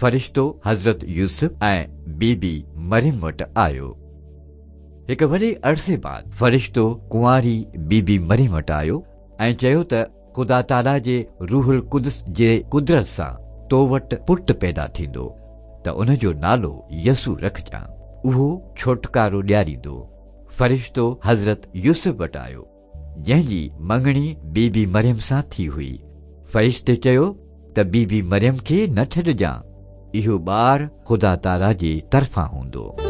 فرشتو حضرت يوسف ۽ بيبي مريم وٽ آيو. هڪ وڏي عرصي بعد فرشتو ڪنواري بيبي مريم وٽ آيو ۽ چيو ته خدا تعاليٰ جي روح القدس جي قدرت سان تو وٽ پٽ پيدا ٿيندو ته ان جو نالو يسوع رکجان. اهو ڇوٽڪارو ڏياريندو. فرشتو حضرت يوسف وٽ آيو، جنهن جي مڱڻي بيبي مريم سان ٿي هئي. فرشتي چيو ته بيبي مريم کي نه ڇڏجان، اهو ٻار خدا تعاليٰ جي طرفان هوندو.